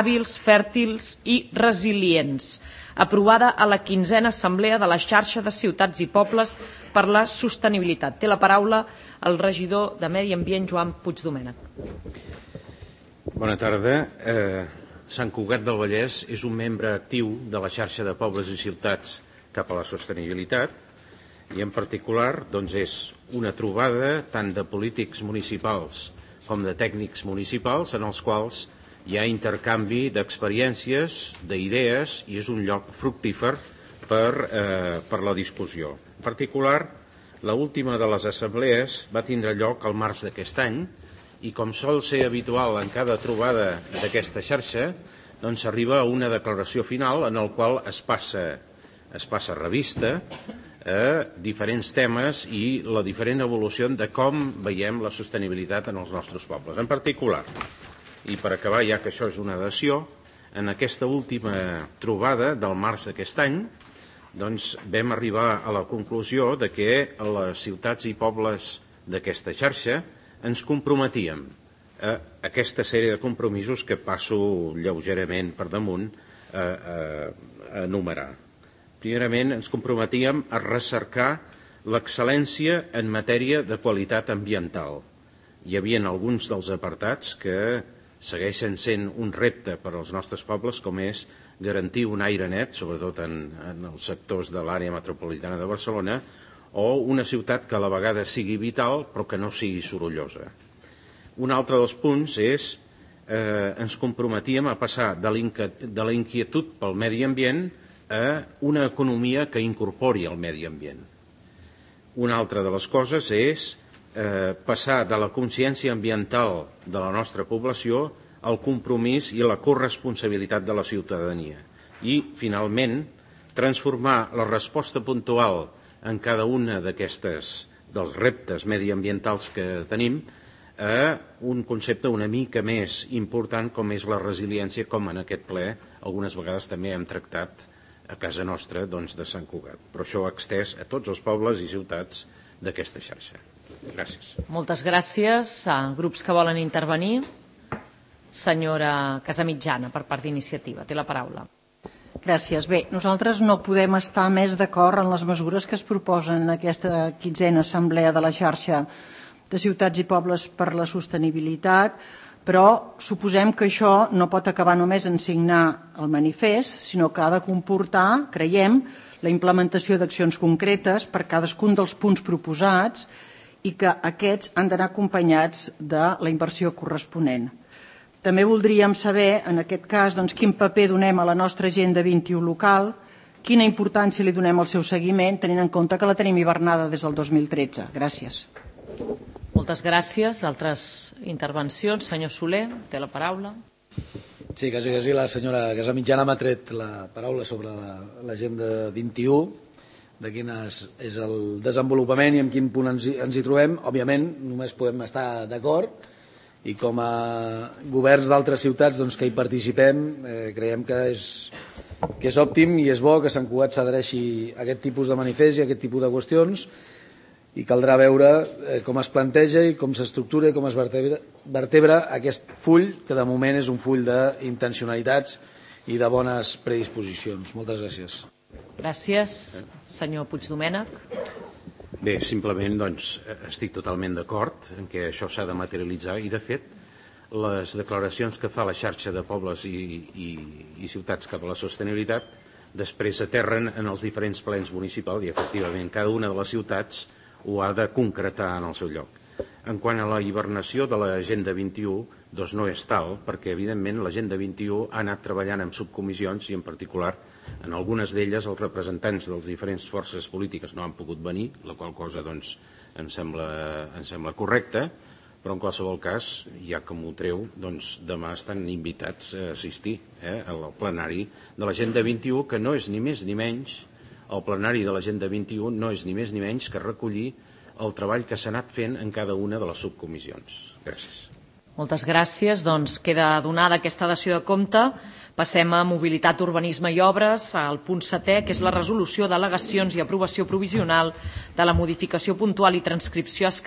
hàbils, fèrtils i resilients, aprovada a la 15a Assemblea de la Xarxa de Ciutats i Pobles per la Sostenibilitat. Té la paraula el regidor de Medi Ambient, Joan Puigdomènech. Bona tarda. Sant Cugat del Vallès és un membre actiu de la xarxa de pobles i ciutats cap a la sostenibilitat i en particular és una trobada tant de polítics municipals com de tècnics municipals en els quals hi ha intercanvi d'experiències, d'idees i és un lloc fructífer per la discussió. En particular, l'última de les assemblees va tindre lloc al març d'aquest any i com sol ser habitual en cada trobada d'aquesta xarxa, s'arriba a una declaració final en la qual es passa revista a diferents temes i la diferent evolució de com veiem la sostenibilitat en els nostres pobles. En particular, i per acabar, ja que això és una dació, en aquesta última trobada del març d'aquest any vam arribar a la conclusió de que a les ciutats i pobles d'aquesta xarxa ens comprometíem a aquesta sèrie de compromisos que passo lleugerament per damunt a enumerar. Primerament, ens comprometíem a recercar l'excel·lència en matèria de qualitat ambiental. Hi havia alguns dels apartats que segueixen sent un repte per als nostres pobles, com és garantir un aire net, sobretot en els sectors de l'àrea metropolitana de Barcelona, o una ciutat que a la vegada sigui vital però que no sigui sorollosa. Un altre dels punts és ens comprometíem a passar de la inquietud pel medi ambient a una economia que incorpori el medi ambient. Una altra de les coses és passar de la consciència ambiental de la nostra població al compromís i a la corresponsabilitat de la ciutadania. I, finalment, transformar la resposta puntual en cada una dels reptes mediambientals que tenim a un concepte una mica més important com és la resiliència, com en aquest ple algunes vegades també hem tractat a casa nostra de Sant Cugat. Però això extès a tots els pobles i ciutats d'aquesta xarxa. Gràcies. Moltes gràcies. Grups que volen intervenir. Senyora Casamitjana, per part d'Iniciativa. Té la paraula. Gràcies. Bé, nosaltres no podem estar més d'acord en les mesures que es proposen en aquesta 15a Assemblea de la Xarxa de Ciutats i Pobles per la Sostenibilitat, però suposem que això no pot acabar només en signar el manifest, sinó que ha de comportar, creiem, la implementació d'accions concretes per cadascun dels punts proposats i que aquests han d'anar acompanyats de la inversió corresponent. També voldríem saber, en aquest cas, quin paper donem a la nostra Agenda 21 local, quina importància li donem al seu seguiment, tenint en compte que la tenim hivernada des del 2013. Gràcies. Moltes gràcies. Altres intervencions? Senyor Soler, té la paraula. Sí, quasi la senyora Casamitjana m'ha tret la paraula sobre l'Agenda 21, de quin és el desenvolupament i en quin punt ens hi trobem. Òbviament, només podem estar d'acord i com a governs d'altres ciutats que hi participem creiem que és òptim i és bo que Sant Cugat s'adhereixi a aquest tipus de manifest i a aquest tipus de qüestions i caldrà veure com es planteja i com s'estructura i com es vertebra aquest full que de moment és un full d'intencionalitats i de bones predisposicions. Moltes gràcies. Gràcies. Senyor Puigdomènech. Bé, simplement estic totalment d'acord en què això s'ha de materialitzar i, de fet, les declaracions que fa la xarxa de pobles i ciutats cap a la sostenibilitat després aterren en els diferents plens municipals i, efectivament, cada una de les ciutats ho ha de concretar en el seu lloc. En quant a la hibernació de l'Agenda 21, no és tal, perquè, evidentment, l'Agenda 21 ha anat treballant en subcomissions i, en particular, en algunes d'elles els representants de les diferents forces polítiques no han pogut venir, la qual cosa em sembla correcta, però en qualsevol cas, ja que m'ho treu, demà estan invitats a assistir al plenari de l'Agenda 21, que no és ni més ni menys, el plenari de l'Agenda 21 no és ni més ni menys que recollir el treball que s'ha anat fent en cada una de les subcomissions. Gràcies. Moltes gràcies. Queda donada aquesta dació de compte. Passem a Mobilitat, Urbanisme i Obres, al punt 7è, que és la resolució d'al·legacions i aprovació provisional de la modificació puntual i transcripció